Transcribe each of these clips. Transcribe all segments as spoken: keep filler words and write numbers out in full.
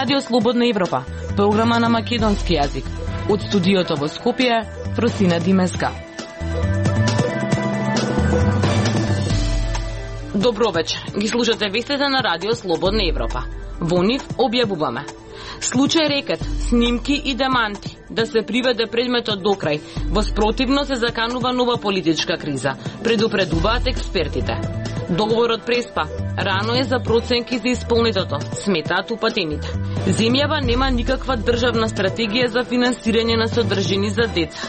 Радио Слободна Европа, програма на македонски јазик. Од студиото во Скопје, Фросина Димеска. Добро вечер. Ги слушате вестите на Радио Слободна Европа. Во нив објавуваме: случај рекет, снимки и деманти, да се приведе предметот до крај. Во спротивно се заканува нова политичка криза, предупредуваат експертите. Договорот преспа. Рано е за проценки за исполнетото, сметаат упатените. Земјава нема никаква државна стратегија за финансирање на содржини за деца.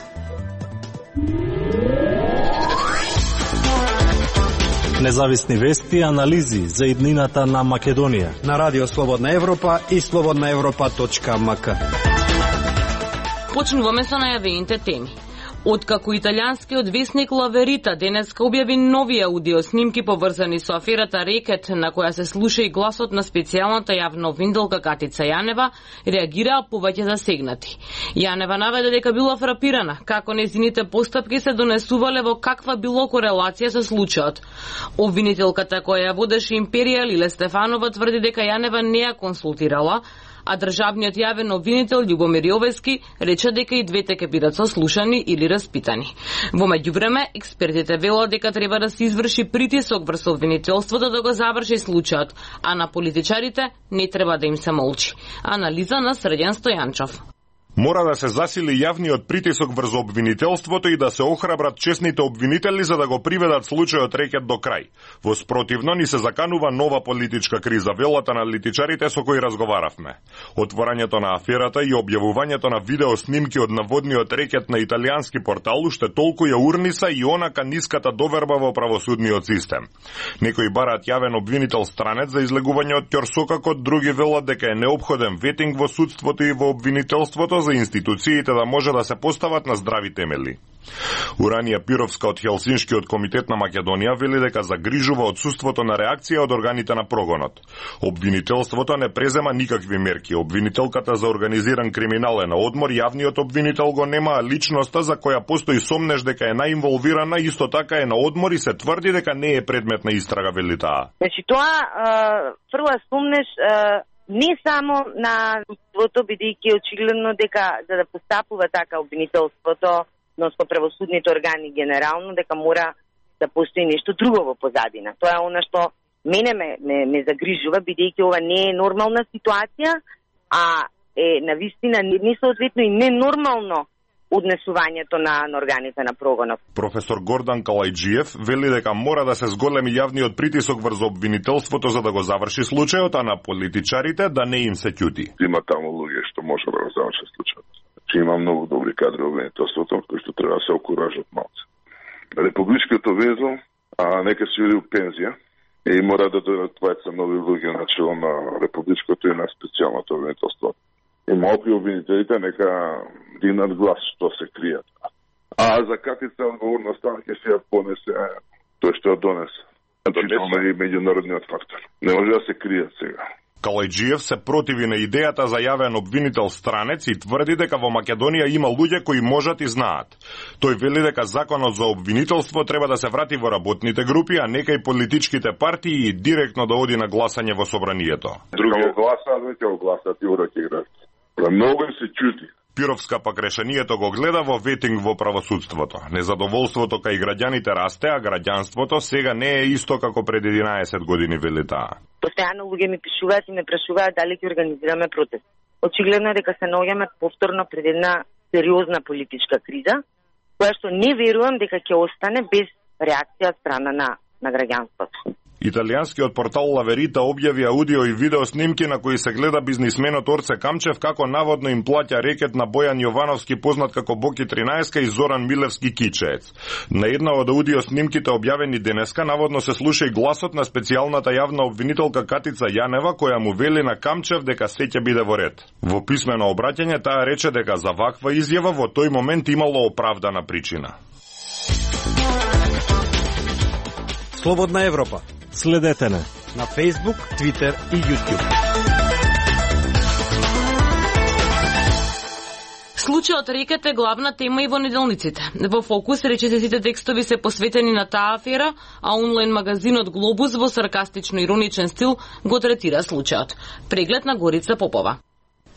Независни вести и анализи за иднината на Македонија на Радио Слободна Европа и слободна европа точка ем ка. Почнуваме со најавените теми. Откако италијанскиот весник La Verità денеска објави нови аудиоснимки поврзани со аферата Рекет, на која се слуша и гласот на специјалната јавна обвинителка Катица Јанева, реагираа повеќе засегнати. Јанева наведе дека била фрапирана како нејзините постапки се донесувале во каква било корелација со случајот. Обвинителката која ја водеше империја Лиле Стефанова тврди дека Јанева не ја консултирала, а државниот јавен обвинител Љубомир Јовевски рече дека и двете ќе бидат сослушани или распитани. Во меѓувреме, експертите велат дека треба да се изврши притисок врз обвинителството да го заврши случајот, а на политичарите не треба да им се молчи. Анализа на Срđan Стојанчов. Мора да се засили јавниот притисок врз обвинителството и да се охрабрат честните обвинители за да го приведат случајот Рекет до крај. Во спротивно ни се заканува нова политичка криза, велат аналитичарите со кои разговаравме. Отворањето на аферата и објавувањето на видеоснимки од наводниот рекет на италијански портал уште толку ја урниса и онака ниската доверба во правосудниот систем. Некои бараат јавен обвинител странец за излегување од ќорсокакот, други велат дека е неопходен ветинг во судството и во обвинителството за институциите да може да се постават на здрави темели. Уранија Пировска од Хелсиншкиот комитет на Македонија вели дека загрижува отсуството на реакција од органите на прогонот. Обвинителството не презема никакви мерки. Обвинителката за организиран криминал е на одмор, јавниот обвинител го нема, личноста за која постои сомнеш дека е наинволвирана исто така е на одмор и се тврди дека не е предмет на истрага, вели таа. Значи тоа фрла сомнеш не само на судството, бидејќи очигледно дека за да постапува така обвинителството, но со правосудните органи генерално, дека мора да постои нешто друго во позадина. Тоа е она што мене ме, ме, ме загрижува, бидејќи ова не е нормална ситуација, а е навистина несоодветно и ненормално однесувањето на, на органите на прогонот. Професор Гордан Калајджиев вели дека мора да се зголеми јавниот притисок врз обвинителството за да го заврши случајот, а на политичарите да не им се ќути. Има таму луѓе што може да го заврши случајот. Че има многу добри кадри во обвинителството кои што треба да се окуражат малце. Републичкото везо, а нека се иде у пензија и мора да дојдат двајца нови луѓе на чело на републичкото и на специјалното обвинителство. И малку обвинителите нека дигнат глас што се кријат. А за Катица одговорноста ќе се ја понесе тој што ја донесе. Тоа е меѓународниот фактор. Не може да се кријат сега. Калајджиев се противи на идејата за јавен обвинител странец и тврди дека во Македонија има луѓе кои можат и знаат. Тој вели дека законот за обвинителство треба да се врати во работните групи, а нека и политичките партии директно да оди на гласање во собранието. Други гласаат, веќе го гласаат и ураки играат. Многу им се чути. Пировска пак решението го гледа во ветинг во правосудството. Незадоволството кај граѓаните расте, а граѓанството сега не е исто како пред единаесет години, вели таа. Постојано луѓе ми пишуваат и ме прашуваат дали ќе организираме протест. Очигледно е дека се наоѓаме повторно пред една сериозна политичка криза, која што не верувам дека ќе остане без реакција од страна на, на граѓанството. Италијанскиот портал La Verità објави аудио и видео снимки на кои се гледа бизнисменот Орце Камчев како наводно им плаќа рекет на Бојан Јовановски, познат како Боки тринаесет, и Зоран Милевски Кичеец. На една од аудио снимките објавени денеска наводно се слуша и гласот на специјалната јавна обвинителка Катица Јанева, која му вели на Камчев дека се ќе биде во ред. Во писмено обраќање таа рече дека за ваква изјава во тој момент имало оправдана причина. Слободна Европа. Следете не на Facebook, Twitter и YouTube. Случајот Рекет е главна тема и во неделниците. Во фокус речисите текстови се посветени на таа афера, а онлайн магазинот Глобус во саркастично-ироничен стил го третира случајот. Преглед на Горица Попова.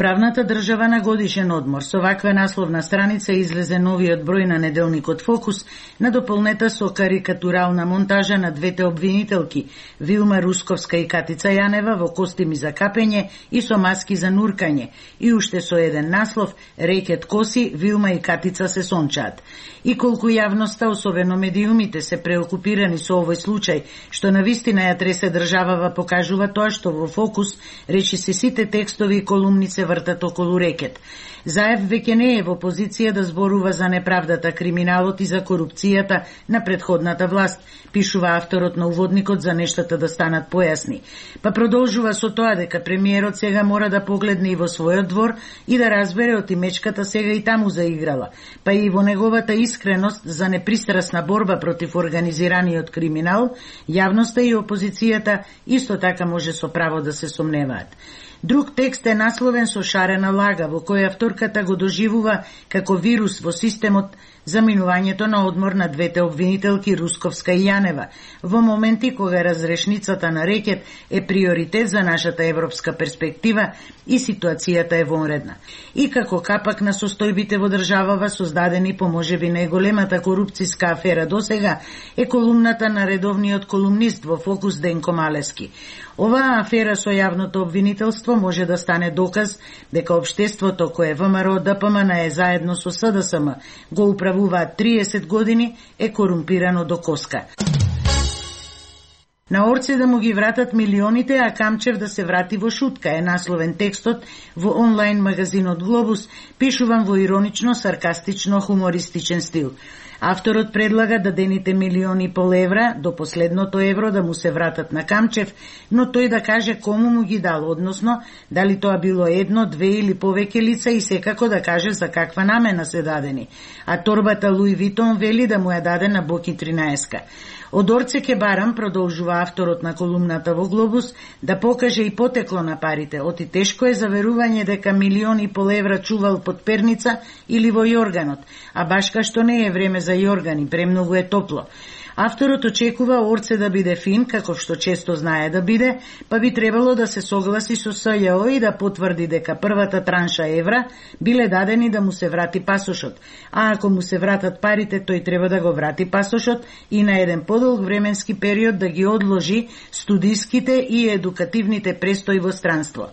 Правната држава на годишен одмор. Со ваква насловна страница излезе новиот број на неделникот Фокус, надополнета со карикатурална монтажа на двете обвинителки, Вилма Русковска и Катица Јанева, во костими за капење и со маски за нуркање, и уште со еден наслов Рекет коси, Вилма и Катица се сончаат. И колку јавноста, особено медиумите, се преокупирани со овој случај, што навистина ја тресе државава, покажува тоа што во Фокус речи се сите текстови и колумни се вртат околу Рекет. Заев веќе не е во позиција да зборува за неправдата, криминалот и за корупцијата на претходната власт, пишува авторот на уводникот за нештата да станат појасни. Па продолжува со тоа дека премиерот сега мора да погледне и во својот двор и да разбере од мечката сега и таму заиграла, па и во неговата искреност за непристрасна борба против организираниот криминал, јавноста и опозицијата исто така може со право да се сомневаат. Друг текст е насловен со шарена лага, во која авторката го доживува како вирус во системот заминувањето на одмор на двете обвинителки Русковска и Јанева, во моменти кога разрешницата на Рекет е приоритет за нашата европска перспектива и ситуацијата е вонредна. И како капак на состојбите во државава, создадени по можеби најголемата корупцијска афера досега, е колумната на редовниот колумнист во Фокус Денко Малески. Оваа афера со јавното обвинителство може да стане доказ дека општеството кое ВМРО ДПМН е заедно со СДСМ го управуваат триесет години е корумпирано до коска. На Орце да му ги вратат милионите, а Камчев да се врати во шутка е насловен текстот во онлайн магазинот Глобус, пишуван во иронично, саркастично, хумористичен стил. Авторот предлага дадените милиони и пол евра до последното евро да му се вратат на Камчев, но тој да каже кому му ги дал, односно дали тоа било едно, две или повеќе лица и секако да каже за каква намена се дадени. А торбата Луи Витон вели да му ја даде на Боки тринаесет. Од Орце ке барам, продолжува авторот на колумната во Глобус, да покаже и потекло на парите. Оти тешко е заверување дека милиони и пол евра чувал под перница или во јорганот, а башка што не е време за јоргани, премногу е топло. Авторот очекува Орце да биде фин, каков што често знае да биде, па би требало да се согласи со СЈО и да потврди дека првата транша евра биле дадени да му се врати пасошот, а ако му се вратат парите, тој треба да го врати пасошот и на еден подолг временски период да ги одложи студиските и едукативните престои во странство.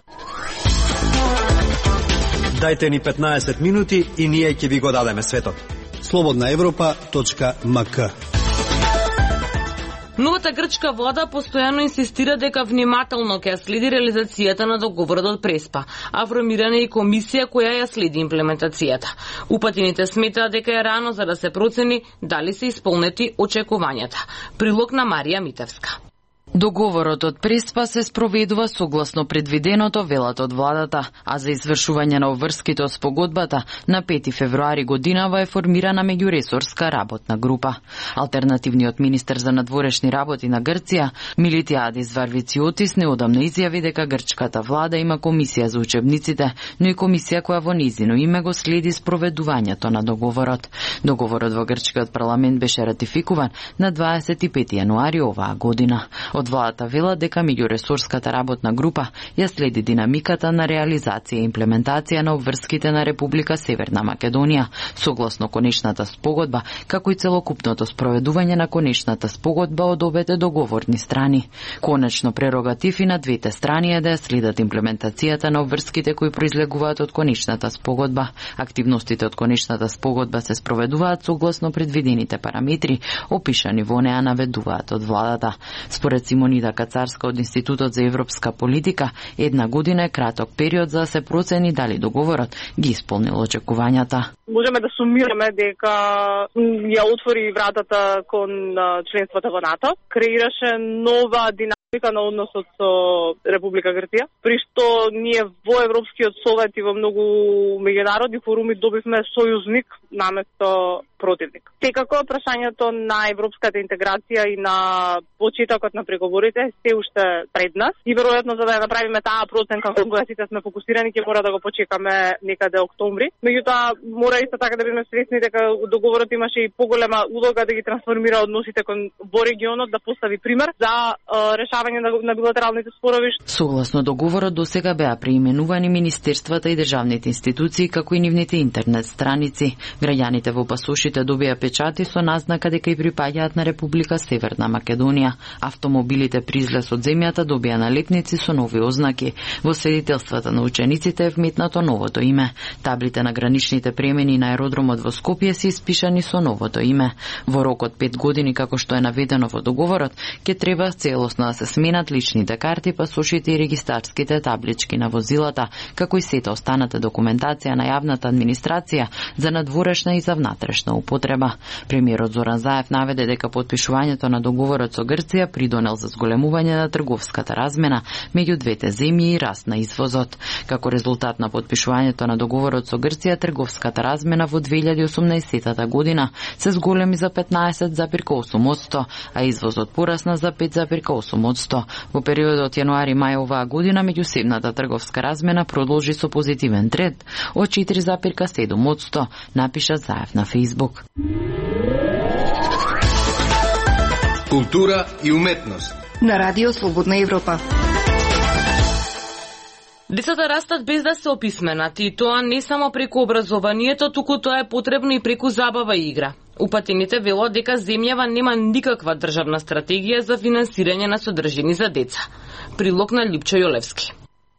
Дајте ни петнаесет минути и ние ќе ви го дадеме светот. слободна европа точка ем ка. Новата грчка влада постојано инсистира дека внимателно ќе следи реализацијата на договорот од Преспа, а формирана е и комисија која ја следи имплементацијата. Упатините сметаат дека е рано за да се процени дали се исполнети очекувањата. Прилог на Марија Митевска. Договорот од Преспа се спроведува согласно предвиденото, велат од владата, а за извршување на обврските од спогодбата на пети февруари годинава е формирана меѓуресорска работна група. Алтернативниот министер за надворешни работи на Грција, Милитиадис Варвициотис, неодамна изјави дека грчката влада има комисија за учебниците, но и комисија која во низино име го следи спроведувањето на договорот. Договорот во грчкиот парламент беше ратификуван на дваесет и пети јануари оваа година. Од владата вела дека меѓуресорската работна група ја следи динамиката на реализација и имплементација на обврските на Република Северна Македонија, согласно конечната спогодба, како и целокупното спроведување на конечната спогодба од обете договорни страни. Конечно прерогатив и на двете страни е да ја следат имплементацијата на обврските кои произлегуваат од конечната спогодба. Активностите од конечната спогодба се спроведуваат согласно предвидените параметри, опишани во неа, наведуваат од владата. Според Симонида Кацарска од Институтот за европска политика, една година е краток период за да се процени дали договорот ги исполнил очекувањата. Можеме да сумираме дека ја отвори вратата кон членството во НАТО, креираше нова динамика на односот со Република Грција, при што ние во Европскиот совет и во многу меѓународни форуми добивме сојузник наместо противник. Секако прашањето на европската интеграција и на почетокот на преговорите се уште пред нас и веројатно за да ја направиме таа проценка кога сите сме фокусирани ќе мора да го почекаме некаде октомври. Меѓутоа мора исто така да бидеме свесни дека договорот имаше и поголема улога да ги трансформира односите кон во регионот, да постави пример за решавање решавање на, на билатералните спорови. Согласно договорот досега беа преименувани министерствата и државните институции како и нивните интернет страници. Граѓаните во пасошите добија печати со назнака дека и припаѓаат на Република Северна Македонија. Автомобилите при излез од земјата добија налепници со нови ознаки. Во свидетелствата на учениците е вметнато новото име. Таблите на граничните премени на аеродромот во Скопје се испишани со новото име. Во рок од пет години, како што е наведено во договорот, ќе треба целосно да се сменат личните карти, пасошите и регистарските таблички на возилата, како и сета останата документација на јавната администрација за надворешна и за внатрешна употреба. Премиерот Зоран Заев наведе дека подпишувањето на договорот со Грција придонел за зголемување на трговската размена меѓу двете земји и раст на извозот. Како резултат на подпишувањето на договорот со Грција, трговската размена во две илјади и осумнаесетта година се зголеми за петнаесет зарез осум одсто, а извозот порасна за пет зарез осум одсто. Во периодот јануари-мај оваа година меѓусебната трговска размена продолжи со позитивен тренд од четири зарез седум одсто, напиша Заев на Facebook. Култура и уметност на Радио Слободна Европа. Децата растат без да се описменат и тоа не само преку образованието, туку тоа е потребно и преку забава и игра. Упатените велат дека земјава нема никаква државна стратегија за финансирање на содржини за деца. Прилог на Липчо Јолевски.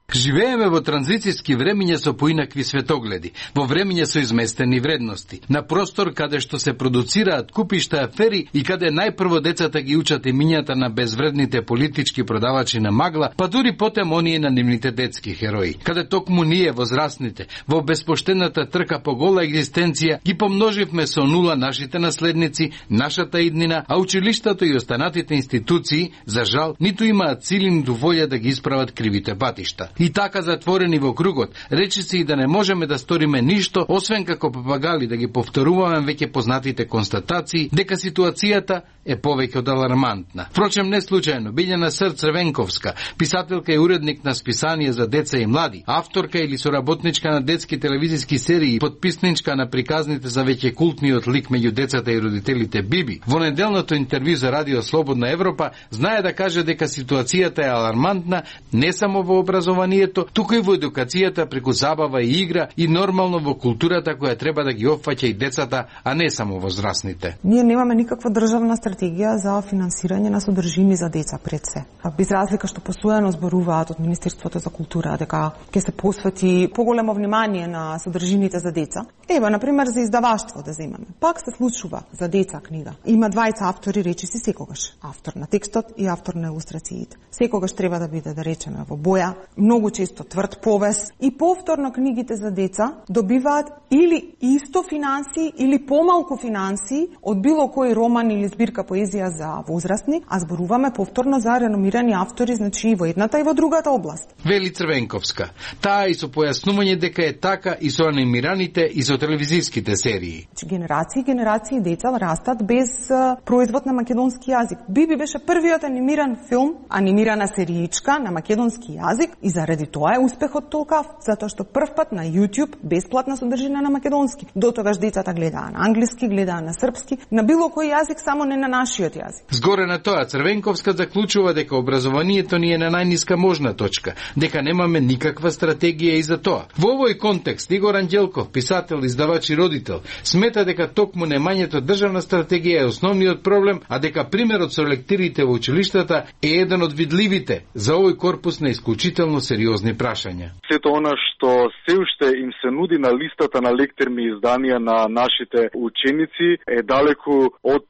Живееме во транзицијски времиња со поинакви светогледи, во времиња со изместени вредности, на простор каде што се продуцираат купишта афери и каде најпрво децата ги учат имињата на безвредните политички продавачи на магла, па дури потем оние на нивните детски херои. Каде токму ние, возрастните, во безпоштената трка по гола екзистенција, ги помноживме со нула нашите наследници, нашата иднина, а училиштата и останатите институции, за жал, ниту имаат сили, ниту волја да ги исправат кривите патишта. И така затворени во кругот, речи се и да не можеме да сториме ништо, освен како папагали да ги повторуваме веќе познатите констатации дека ситуацијата е повеќе од алармантна. Впрочем, не случајно, Билјана Ср Црвенковска, писателка и уредник на списание за деца и млади, авторка или соработничка на детски телевизиски серии, подписничка на приказните за веќе култниот лик меѓу децата и родителите Биби, во неделното интервју за Радио Слободна Европа, знае да каже дека ситуацијата е алармантна не само во образованието, туку и во едукацијата преку забава и игра и нормално во културата која треба да ги опфаќа и децата, а не само возрастните. Ние немаме никаква државна стратегија за финансирање на содржини за деца пред се. Без разлика што постојано зборуваат од Министерството за култура дека ќе се посвети поголемо внимание на содржините за деца. Ева, на пример, за издаваштво да земеме. Пак се случува за деца книга. Има двајца автори, речи си секогаш. Автор на текстот и автор на илустрациите. Секогаш треба да биде, да речеме, во боја, многу често тврд повес и повторно книгите за деца добиваат или исто финансии или помалку финансии од било кој роман или збирка поезија за возрастни, а зборуваме повторно за реномирани автори, значи и во едната и во другата област. Вели Црвенковска. Таа и со појаснување дека е така и со анимираните и со телевизиските серии. Генерации и генерации деца растат без uh, производ на македонски јазик. Биби беше првиот анимиран филм, анимирана сериичка на македонски јазик и заради тоа е успехот толкав, затоа што првпат на YouTube бесплатна содржина на македонски. До тогаш децата гледаа на англиски, гледаа на српски, на било кој јазик, само не на нашиот јазик. Згоре на тоа, Црвенковска заклучува дека образованието ни е на најниска можна точка, дека немаме никаква стратегија и за тоа. Во овој контекст, Игор Анđелков, писател, издавач и родител, смета дека токму немањето државна стратегија е основниот проблем, а дека примерот со лектирите во училиштата е еден од видливите за овој корпус на исклучително сериозни прашања. Сето она што се уште им се нуди на листата на лектерни изданија на нашите ученици е далеку од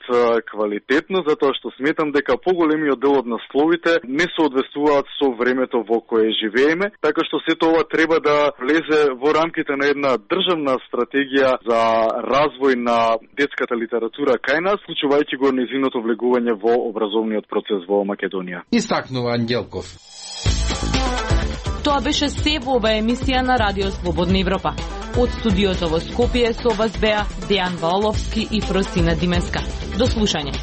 квалитетно, затоа што сметам дека поголемиот дел од насловите не соодветствуваат со времето во кое живееме, така што сето ова треба да влезе во рамките на една државна стратегија за развој на детската литература кај нас, вклучувајќи го нејзиното влегување во образовниот процес во Македонија. Истакнува Анđелков. Тоа беше се во оваа емисија на Радио Слободна Европа. Од студиото во Скопје со вас беа Дејан Валовски и Фросина Димеска. До слушање.